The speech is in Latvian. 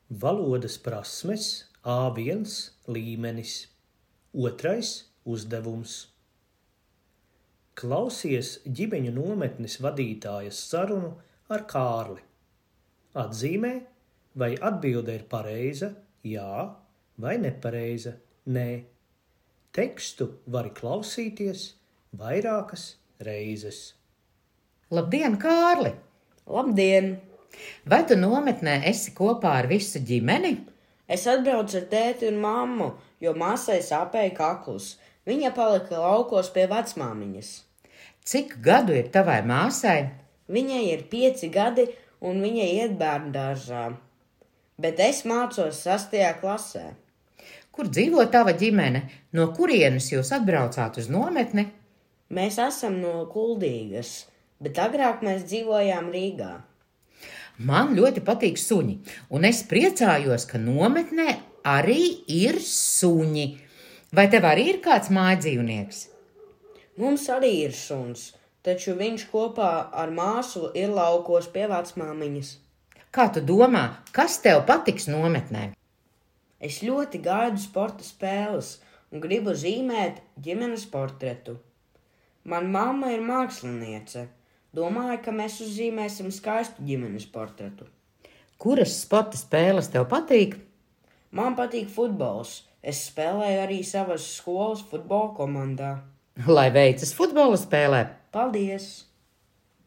Valodas prasmes A1 līmenis. Otrais uzdevums. Klausies ģimeņu nometnes vadītājas sarunu ar Kārli. Atzīmē, vai atbilde ir pareiza, jā, vai nepareiza, nē. Tekstu vari klausīties vairākas reizes. Labdien, Kārli! Labdien! Vai tu nometnē esi kopā ar visu ģimeni? Es atbraucu ar tēti un mammu, jo māsai sāpēja kakls. Viņa palika laukos pie vecmāmiņas. Cik gadu ir tavai māsai? Viņai ir 5 gadi un viņa iet bērndārzā. Bet es mācos 6. klasē. Kur dzīvo tava ģimene? No kurienes jūs atbraucāt uz nometni? Mēs esam no Kuldīgas, bet agrāk mēs dzīvojām Rīgā. Man ļoti patīk suņi, un es priecājos, ka nometnē arī ir suņi. Vai tev arī ir kāds mājdzīvnieks? Mums arī ir suns, taču viņš kopā ar māsu ir laukos pie vecmāmiņas. Kā tu domā, kas tev patiks nometnē? Es ļoti gaidu sporta spēles un gribu zīmēt ģimenes portretu. Man mamma ir māksliniece. Domāju, ka mēs uzzīmēsim skaistu ģimenes portretu. Kuras sporta spēles tev patīk? Man patīk futbols. Es spēlēju arī savas skolas futbola komandā. Lai veicas futbola spēlē! Paldies!